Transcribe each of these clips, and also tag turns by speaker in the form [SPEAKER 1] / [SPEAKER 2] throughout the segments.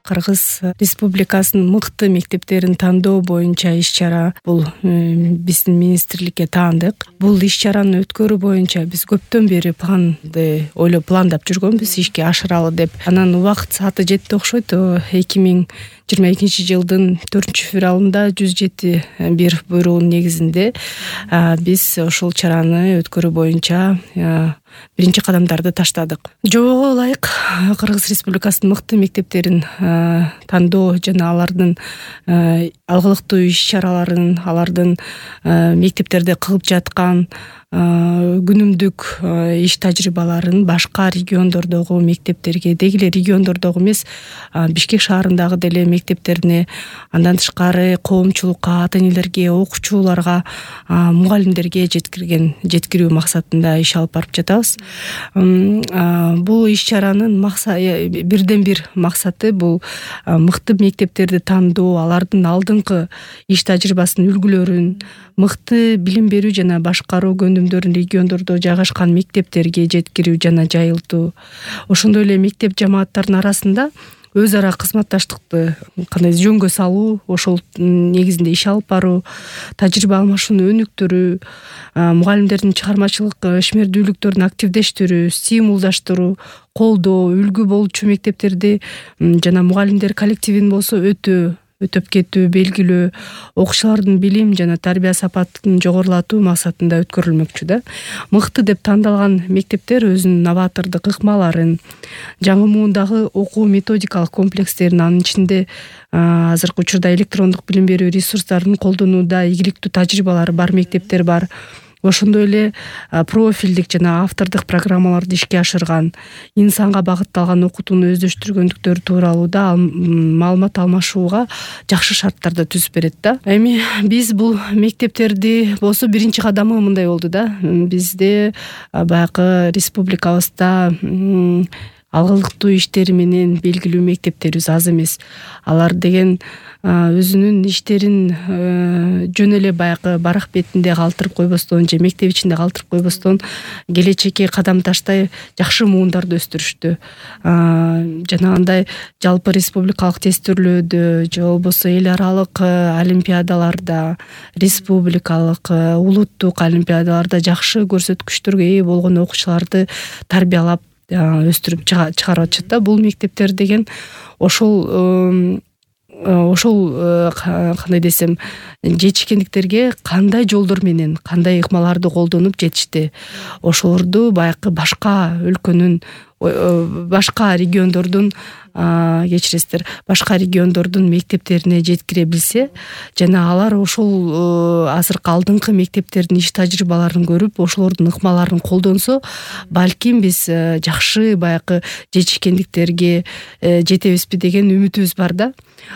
[SPEAKER 1] Кыргыз Республикасынын мыкты мектептерин тандоо боюнча иш-чара бул биздин министрликке таандык. Бул иш-чараны өткөрүү боюнча биз көптөн бери пландап жүргөнбүз ишке ашыралы деп. Анан убакыт сааты жетти окшойт. 2022 жылдын 4-февралында 107-1 буйругунун негизинде биз ушул чараны өткөрүү боюнча биринчи кадамдарды таштадык. Жобого ылайык Кыргыз Республикасынын мыкты мектептерин тандоо жана алардын алгылыктуу иш-чараларын, алардын мектептерде кылып жаткан күнүмдүк иш тажрыйбаларын башка региондордогу мектептерге, деги эле региондордогу эмес, Бишкек шаарындагы деле мектептерине, андан тышкары коомчулукка, ата-энелерге, окуучуларга, мугалимдерге жеткирүү максатында иш алып барып жатабыз. Бул иш-чаранын бирден бир максаты бул мыкты мектептерди тандоо, алардын алдыңкы иш тажрыйбасынын үлгүлөрүн мыкты билим берүү жана башкаруу көндүмдөрүн региондордо жайгашкан мектептерге жеткирүү жана жайылтуу. Ошондой эле мектеп жамааттарынын арасында өз ара кызматташтыкты кандай жөнгө салуу, ошол негизинде иш алып баруу, тажрыйба алмашууну өнүктүрүү, мугалимдердин чыгармачылык ишмердүүлүктөрүн активдештирүү, стимулдаштыруу, колдоо, үлгү болчу мектептерди жана мугалимдер коллективин болсо өтөп кетүү, белгилөө, окуучулардын билим жана тарбия сапатын жогорулатуу максатында өткөрүлмөкчү да. Мыкты деп тандалган мектептер өзүнүн новатордук ыкмаларын, жаңы муундагы окуу методикалык комплекстерин, анын ичинде азыркы учурда электрондук билим берүү ресурстарын колдонууда ийгиликтүү тажрыйбалары бар мектептер бар. Ошондой эле профилдик жана автордук программаларды ишке ашырган, инсанга багытталган окутууну өздөштүргөндүктөрү тууралуу да маалымат алмашууга жакшы шарттарды түзүп берет да. Эми биз бул мектептерди болсо биринчи кадамы мындай болду да. Бизде баягы республикабызда алгылыктуу иштери менен белгилүү мектептерибиз аз эмес. Алар деген өзүнүн иштерин жөн эле баягы барак бетинде калтырып койбостон же мектеп ичинде калтырып койбостон келечекке кадам таштай жакшы муундарды өстүрүштү. Жана андай жалпы республикалык тестирлөөдө же болбосо эл аралык олимпиадаларда, республикалык, улуттук олимпиадаларда жакшы көрсөткүчтөргө ээ болгон окуучуларды тарбиялап өстүрүп чыгарып атышат да. Бул мектептер деген ошол кандай десем, жетишкендиктерге кандай жолдор менен, кандай ыкмаларды колдонуп жетишти. Ошолорду баягы башка өлкөнүн, башка региондордун башка региондордун мектептерине жеткире билсе жана алар ошол азыркы алдыңкы мектептердин иш тажрыйбаларын көрүп, ошолордун ыкмаларын колдонсо, балким биз жакшы баягы жетишкендиктерге жетебизби деген үмүтүбүз бар да.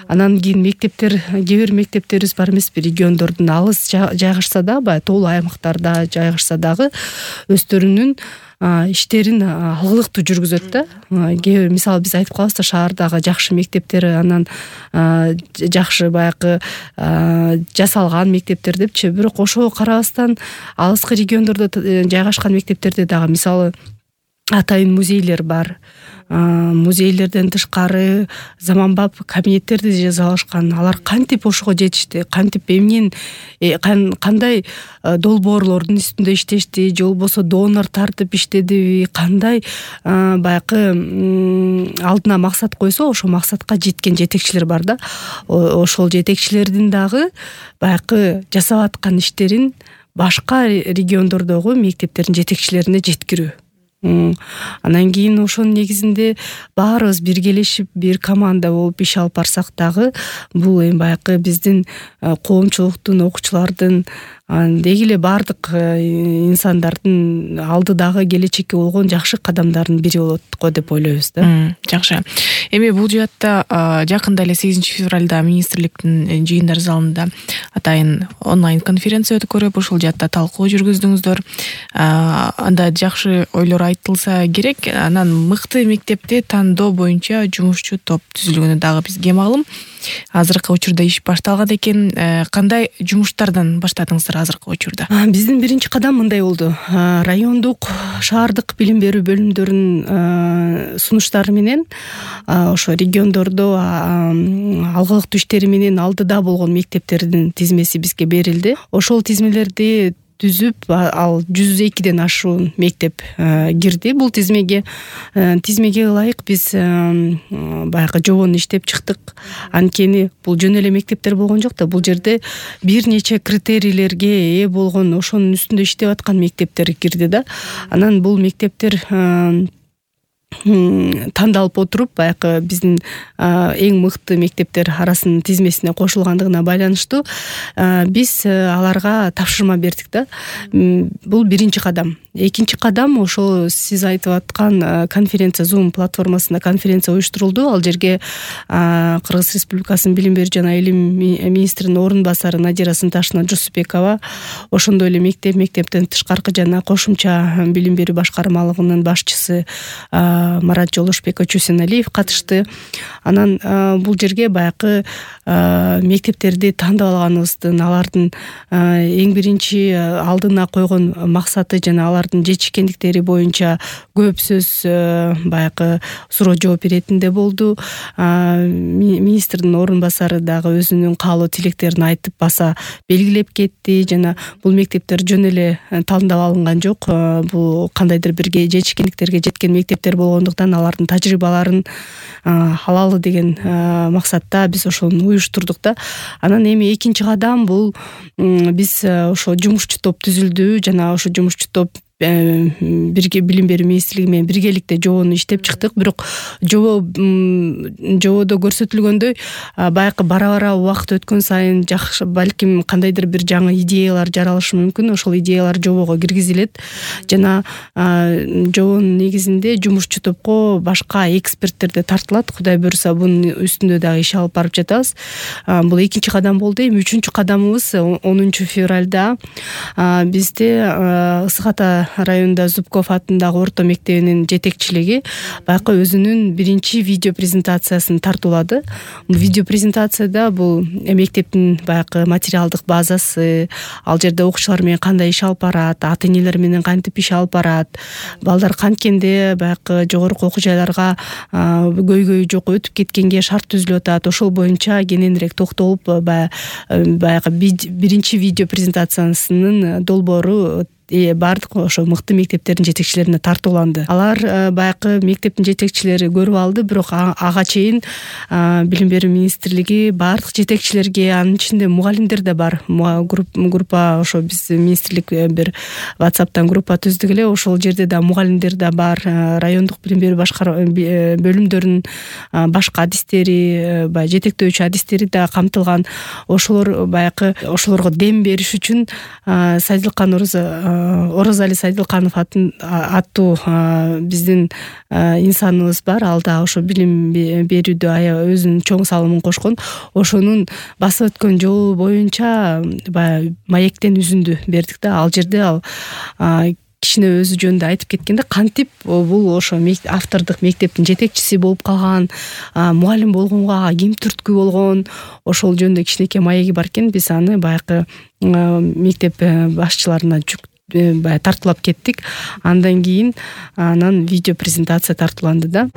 [SPEAKER 1] Анан кийин кээ бир мектептерибиз бар эмеспи, региондордун алыс жайгашса да, баягы тоолуу аймактарда жайгашса дагы өздөрүнүн иштерин алгылыктуу жүргүзөт да. Мисалы биз айтып калабыз да, шаардагы жакшы мектептер, анан жакшы баягы жасалган мектептер депчи. Бирок ошого карабастан алыскы региондордо жайгашкан мектептерде дагы мисалы атайын музейлер бар. Музейлерден тышкары заманбап кабинеттерди жасалышкан. Алар кантип ошого жетишти, кантип эмнен кандай долбоорлордун үстүндө иштешти, же болбосо донор тартып иштедиби, кандай баягы алдына максат койсо, ошол максатка жеткен жетекчилер бар да. Ошол жетекчилердин дагы баягы жасап аткан иштерин башка региондордогу мектептердин жетекчилерине жеткирүү. Анан кийин ошонун негизинде баарыбыз биргелешип, бир команда болуп иш алып барсак дагы, бул эми баягы биздин коомчулуктун, окуучулардын, деги эле баардык инсандардын алдыдагы келечекке болгон жакшы кадамдардын бири болот го деп ойлойбуз да.
[SPEAKER 2] Жакшы. Эми бул жаатта жакында эле 8-февралда министрликтин жыйындар залында атайын онлайн конференция өткөрүп, ошол жаатта талкуу жүргүздүңүздөр. Анда жакшы ойлор айтылса керек. Анан мыкты мектепти тандоо боюнча жумушчу топ түзүлгөнү дагы бизге маалым. Азыркы учурда иш башталган экен. Кандай жумуштардан баштадыңыздар азыркы учурда?
[SPEAKER 1] Биздин биринчи кадам мындай болду. Райондук, шаардык билим берүү бөлүмдөрүнүн сунуштары менен ошо региондордо алгылыктуу иштери менен алдыда болгон мектептердин тизмеси бизге берилди. Ошол тизмелерди түзүп, ал 102ден ашуун мектеп кирди бул тизмеге ылайык биз баягы жобону иштеп чыктык. Анткени бул жөн эле мектептер болгон жок да, бул жерде бир нече критерийлерге ээ болгон, ошонун үстүндө иштеп аткан мектептер кирди да. Анан бул мектептер тандалып отуруп, баягы биздин эң мыкты мектептер арасынын тизмесине кошулгандыгына байланыштуу биз аларга тапшырма бердик да. Бул биринчи кадам. Экинчи кадам ошол сиз айтып аткан конференция, Zoom платформасында конференция уюштурулду. Ал жерге Кыргыз Республикасынын билим берүү жана илим министринин орун басары Надира Сынташевна Жусупбекова, ошондой эле мектептен тышкаркы жана кошумча билим берүү башкармалыгынын башчысы Марат Жолошбек Чусеналиев катышты. Анан бул жерге баягы мектептерди тандап алганыбыздын, алардын эң биринчи алдына койгон максаты жана алардын жетишкендиктери боюнча көп сөз баягы суроо жооп иретинде болду. Министрдин орун басары дагы өзүнүн каалоо тилектерин айтып баса белгилеп кетти. Жана бул мектептер жөн эле тандап алынган жок. Бул кандайдыр бир жетишкендиктерге жеткен мектептер болгондуктан алардын тажрыйбаларын алалы деген максатта биз ошону уюштурдук да. Анан эми экинчи кадам бул биз ошо жумушчу топ түзүлдү жана ошо жумушчу топ бирге билим берүү министрлиги менен биргеликте жобону иштеп чыктык. Бирок жободо көрсөтүлгөндөй баягы бара убакыт өткөн сайын жакшы, балким кандайдыр бир жаңы идеялар жаралышы мүмкүн. Ошол идеялар жобого киргизилет жана жобонун негизинде жумушчу топко башка эксперттер да тартылат. Кудай буюрса бунун үстүндө дагы иш алып барып жатабыз. Бул экинчи кадам болду. Эми үчүнчү кадамыбыз 10 февралда бизде Ысык Ата районунда Зубков атындагы орто мектебинин жетекчилиги баягы өзүнүн биринчи видео презентациясын тартуулады. Видео презентацияда бул мектептин баягы материалдык базасы, ал жерде окуучулар менен кандай иш алып барат, ата-энелер менен кантип иш алып барат, балдар канткенде баягы жогорку окуу жайларга көйгөйү жок өтүп кеткенге шарт түзүлүп атат. Ошол боюнча кененирээк токтолуп баягы биринчи видео презентациясынын долбоору бардык ошо мыкты мектептердин жетекчилерине тартууланды. Алар баягы мектептин жетекчилери көрүп алды, бирок ага чейин билим берүү министрлиги бардык жетекчилерге, анын ичинде мугалимдер да бар. Группа ошо биз министрлик бир WhatsApp'тан группа түздүк эле. Ошол жерде да мугалимдер да бар, райондук билим берүү бөлүмдөрүнүн башка адистери, баягы жетектөөчү адистери да камтылган. Ошолор баягы ошолорго дем бериш үчүн Сайдылкан Оразали Сайдылканов аттуу биздин инсаныбыз бар. Ал да ошо билим берүүдө өзүнүн чоң салымын кошкон. Ошонун басып өткөн жолу боюнча баягы маектен үзүндү бердик да. Ал жерде ал кичине өзү жөнүндө айтып кеткенде, кантип бул ошо автордук мектептин жетекчиси болуп калган, мугалим болгонго ким түрткү болгон, ошол жөнүндө кичинекей маеги бар экен. Биз аны баягы мектеп башчыларына тартуулап кеттик. Андан кийин анан видео презентация тартууланды да.